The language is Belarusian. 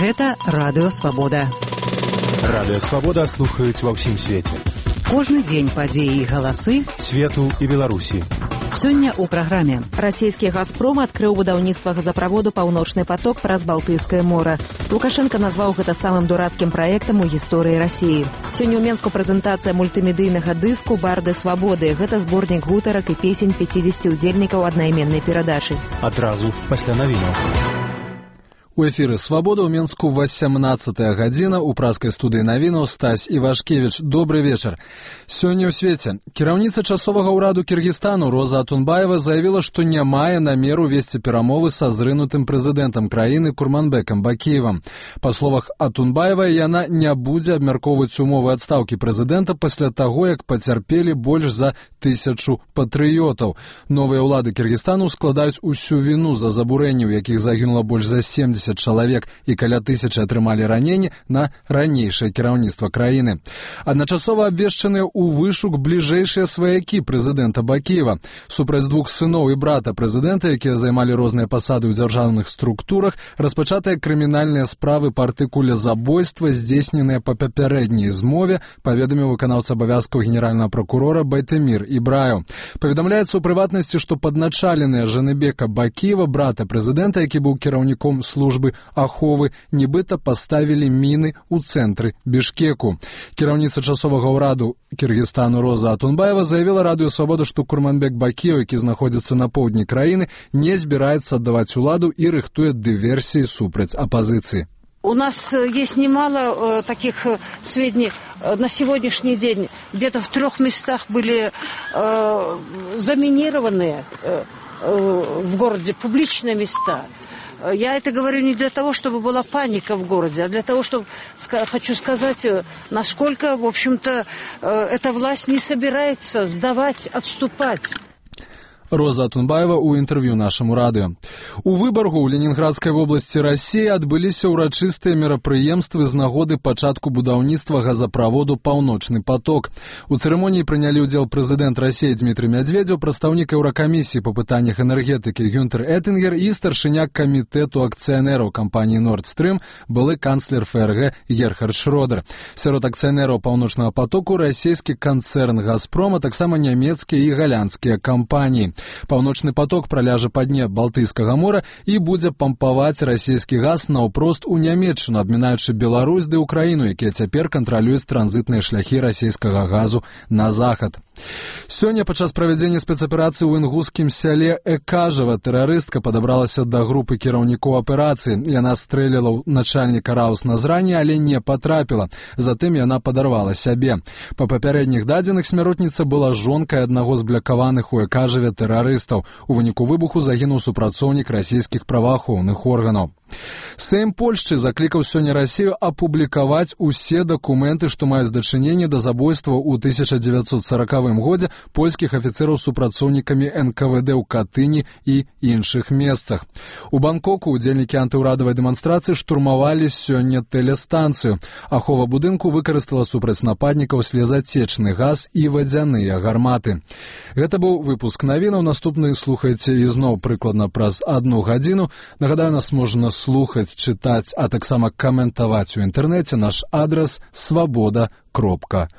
Гэта Радыё Свабода. Радыё Свабода слухаюць ва ўсім свеце. Кожны дзень падзеі і галасы свету і Беларусі. Сёння ў праграме. Расійскі «Газпром» адкрыў будаўніцтва газаправоду «Паўночны поток» праз Балтыйскае мора. Лукашенко назваў гэта самым дурацкім праектам у гісторыі Расіі. Сёння ў Менску прэзентацыя мультымедыйнага дыску «Барды свабоды». Гэта зборнік гутарак і песень 50 удзельнікаў аднайменнай перадачы. Адразу пасля навінаў. У эфіры «Свабода» ў Менску 18-я гадзіна. У праскай студыі навінаў Стась Івашкевіч. Добры вечар. Сёння ў свеце. Кіраўніца часовага ўраду Кіргізстану Роза Атунбаева заявіла, што не мае намеру весці перамовы са зрынутым прэзідэнтам краіны Курманбекам Бакіевам. Па словах Атунбаевай, яна не будзе абмяркоўваць умовы адстаўкі прэзідэнта пасля таго, як пацярпелі больш за 1000 патрыётаў. Новыя ўлады Кіргізстану складаюць усю віну за забурэнні, у якіх загінула больш за 70 чалавек і каля 1000 атрымалі раненні на ранейшае кіраўніцтва краіны. Адначасова абвешчаныя ў вышук бліжэйшыя сваякі прэзідэнта Бакіева. Супраць двух сыноў і брата прэзідэнта, якія займалі розныя пасады ў дзяржаўных структурах, распачатыя крымінальныя справы па артыкуле забойства, здзейсненыя па папярэдняй змове, паведаміў выканаўца абавязкаў генеральнага пракурора Байтэмір Ібраев. Паведамляецца ў прыватнасці, што падначаленыя Жаныбека Бакіева, брата прэзідэнта, які быў кіраўніком службы аховы, нібыта паставілі міны ў цэнтры Бішкеку. Кіраўніца часовага ўраду Кіргізстану Роза Атунбаева заявіла Радыё Свабода, што Курманбек Бакіев, які знаходзіцца на поўдні краіны, не збіраецца аддаваць уладу і рыхтуе дыверсіі супраць апозиции. У нас есть немало таких сведений. На сегодняшний день где-то в 3 местах были заминированные в городе публичные места. Я это говорю не для того, чтобы была паника в городе, а для того, чтобы хочу сказать, насколько, в общем-то, эта власть не собирается сдавать, отступать. Роза Атунбаева ў інтэрв'ю нашаму радыё. У Выбаргу ў Ленінградскай вобласці Расіі адбыліся ўрачыстыя мерапрыемствы з нагоды пачатку будаўніцтва газаправоду «Паўночны поток». У цырымоніі прынялі ўдзел прэзідэнт Расіі Дмітрый Мядзведзеў, прадстаўнік Еўракамісіі па пытаннях энергетыкі Гюнтер Эттингер і старшыня камітэту акцыянераў кампаніі «Норд Стрым», былы канцлер ФРГ Герхард Шрёдер. Сярод акцыянераў «Паўночнага потоку» расійскі канцэрн «Газпром», а таксама нямецкія і галандскія кампаніі. «Паўночны поток» праляжа па дне Балтыйскага мора і будзе пампаваць расійскі газ наўпрост у Нямецчыну, абмінаючы Беларусь ды Украіну, якія цяпер кантралююць транзітныя шляхі расійскага газу на захад. Сёння падчас правядзення спецаперацыі ў інгускім сяле Экажава тэрарыстка падабралася да групы кіраўнікоў аперацыі. Яна стрэліла ў начальніка Раус на зрані, але не патрапіла. Затым яна падарвала сябе. Па папярэдніх дадзеных смяротніца была жонкай аднаго з блякаваных у Экажаве тэрарыстаў. У выніку выбуху загінуў супрацоўнік расійскіх праваахоўных органаў. Сейм Польшчы заклікаў сёння Расію апублікаваць усе дакументы, што маюць дачыненне да забойства ў 1940 годзе польскіх афіцэраў супрацоўнікамі НКВД ў Катыні і іншых месцах. У Бангкоку удзельнікі антыўрадавай дэманстрацыі штурмавалі сёння тэлестанцыю. Ахова будынку выкарыстала супраць нападнікаў слезацечны газ і вадзяныя гарматы. Гэта быў выпуск навінаў. Наступны слухайце ізноў прыкладна праз 1 гадзіну. Нагадаю, нас можна слухаць, чытаць, а таксама каментаваць у інтэрнэце. Наш адрас свабода.орг.